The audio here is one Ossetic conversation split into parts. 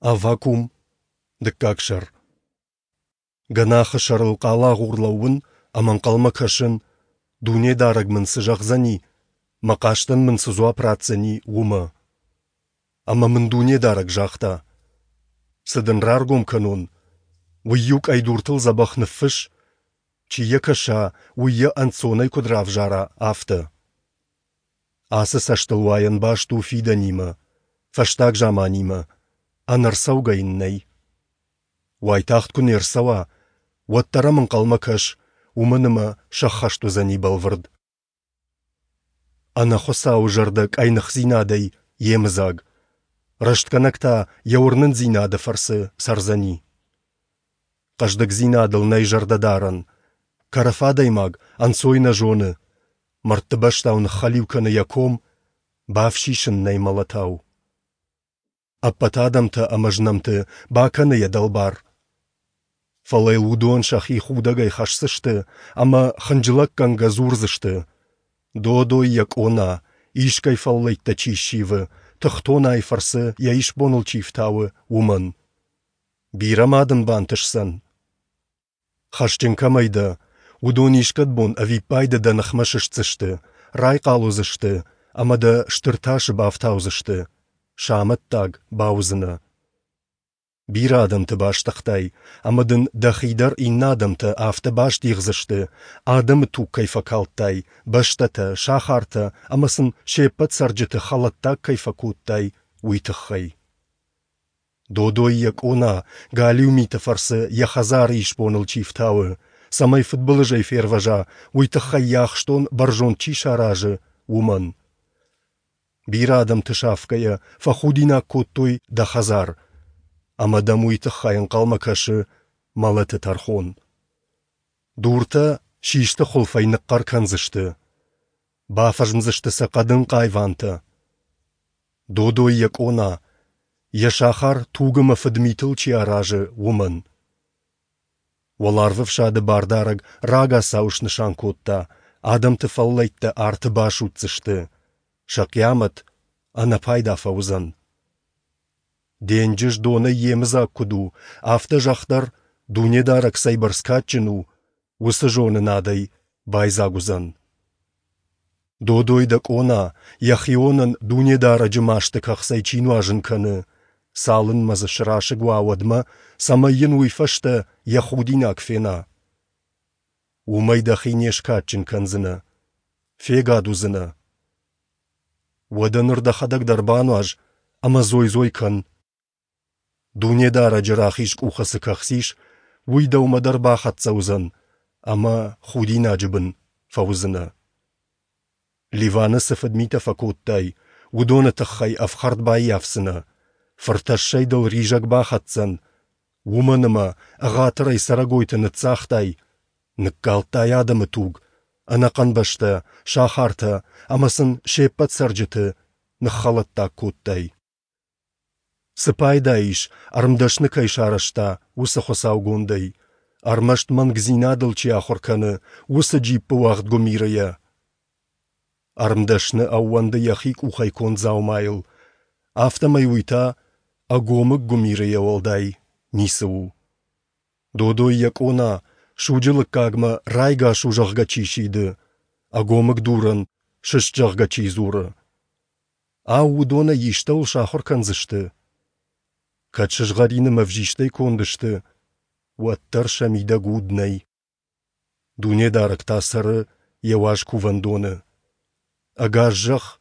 Аввакум, дыккаг сӕр. Гӕнахы сӕрыл хъалагъур лӕууын ӕмӕ ӕнхъӕлмӕ кӕсын, Дунедарӕг мын цы зӕгъдзӕни, мӕ хъастӕн мын цы дзуапп ратдзӕни, уымӕ. Ӕмӕ мын Дунедарӕг загъта: Цы дын раргом кӕнон, уый-иу къӕйдуртыл дзӕбӕх ныффысс, чи йӕ кӕса, уый йӕ ӕнцонӕй куыд равзара, афтӕ. Ацы цӕстылуайӕн баст у фидӕнимӕ, фӕстаг заманимӕ, ӕнӕрцӕугӕ йын нӕй. Уайтагъд куы не рцӕуа, уӕддӕр ӕм ӕнхъӕлмӕ кӕс, уымӕн ӕмӕ сӕххӕст уыдзӕни бӕлвырд. Ӕнӕхуыцауы зӕрдӕ къӕйныхдзинадӕй йемыдзаг, рӕстгӕнӕг та йӕ уырнындзинады фӕрцы цӕрдзӕни. Хъӕздыгдзинадыл нӕй зӕрдӕдарӕн, кӕрӕф адӕймаг ӕнцой нӕ зоны, мӕрдты бӕстау ныххӕлиу кӕны йӕ ком, бафсис ын нӕй мӕлӕтау. Ӕппӕт адӕмтӕ ӕмӕ знӕмты бакӕны йӕ дӕлбар. Фӕлӕ йыл уыдон сӕхи худӕгӕй хӕсдзысты ӕмӕ хынджылӕггӕнгӕ дзурдзысты: Додой йӕ къона, искӕй фӕллӕйттӕ чи ссивы, тыхтонайы фӕрцы йӕ исбоныл чи фтауы, уымӕн. Бирӕ ма дын бантысдзӕн? Хӕсджын кӕмӕй дӕ, уыдон искӕд бон ӕвиппайды дӕ ныхмӕ сыстдзысты, райхъал уыдзысты ӕмӕ дӕ стыр тасы бафтаудзысты, сӕ амӕттаг бауыдзынӕ. Бирӕ адӕмты бастыгътай, ӕмӕ дын дӕхи дӕр иннӕ адӕмтӕ афтӕ бастигъдзысты, адӕмы туг кӕй фӕкалдтай, бӕстӕтӕ, сахартӕ ӕмӕ сын се ппӕт цӕрджыты хӕлӕттаг кӕй фӕкодтай, уый тыххӕй. Додой йӕ къона галиу миты фӕрцы йӕ хӕдзары исбоныл чи фтауы, цӕмӕй фыдбылызӕй фервӕза, уый тыххӕй йӕ ахстон бӕрзонд чи саразы, уымӕн. Бирӕ адӕмты сафгӕйӕ фӕхудинаг кодтой дӕ хӕдзар, ӕмӕ дӕм уый тыххӕй ӕнхъӕлмӕ кӕсы мӕлӕты тӕрхон. Дуртӕ систы хуылфӕй ныхъхъӕр кӕндзысты, бафӕзмдзысты сӕ хъӕдын хъайвантӕ. Додой йӕ къона, йӕ сахар туг ӕмӕ фыдмитыл чи аразы, уымӕн. Уӕларвӕфсады бардарӕг рагацау снысан кодта, адӕмты фӕллӕйттӕ арты басудздзысты, сӕ хъиамӕт ӕнӕпайда фӕуыдзӕн. Денджыз донӕй йемыдзаг куыд у, афтӕ зӕхх дӕр, Дунедарӕг цӕйбӕрц кадджын у, уыцы зонынадӕй байдзаг уыдзӕн. Додой дӕ къона, йӕхионӕн Дунедарӕджы масты кӕхцӕй чи нуазын кӕны, цалынмӕ дзы срасыг уа, уӕдмӕ, цӕмӕй йын уый фӕстӕ йӕ худинаг фена. Уымӕй дӕхи не скадджын кӕндзынӕ, фегад уыдзынӕ. Уӕдӕ ныр дӕхӕдӕг дӕр бануаз ӕмӕ дзой-дзой кӕн. Дунедарӕджы рахиз къухы цы кӕхц ис, уый дӕумӕ дӕр бахӕццӕ уыдзӕн, ӕмӕ худинаджы бын фӕуыдзынӕ. Ливаны цы фыдмитӕ фӕкодтай, уыдоны тыххӕй ӕфхӕрд баййафдзынӕ, фыртӕссӕй дыл ризӕг бахӕцдзӕн, уымӕн ӕмӕ ӕгъатырӕй цӕрӕгойты ныццагътай, ныккалдтай адӕмы туг, ӕнӕхъӕн бӕстӕ, сахартӕ ӕмӕ сын се ппӕт цӕрджыты ныххӕлӕттаг кодтай. Цы пайда ис, ӕрмдӕсны кӕй сарӕзта, уыцы хуыцаугондӕй, ӕрмӕст мӕнгдзинадыл чи ахуыр кӕны, уыцы джиппы уагъд гуымирыйӕ? Ӕрмдӕсны ӕууӕнды йӕхи къухӕй конд дзаумайыл, афтӕмӕй уый та ӕгомыг гуымирыйӕ уӕлдай ницы у. Додой йӕ къона, суджы лыггагмӕ райгас у, зӕгъгӕ, чи сиды, ӕгомыг дурӕн сыст, зӕгъгӕ, чи дзуры. Ау, уыдонӕй истӕуыл сахуыр кӕндзысты? Кӕд сызгъӕрин ӕмӕ ӕвзистӕй конд сты, уӕддӕр сӕ мидӕг уд нӕй. Дунедарӕг та цӕры йӕ уаз кувӕндоны. Ӕгас зӕхх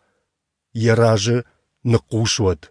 йӕ разы ныхъхъус уӕд.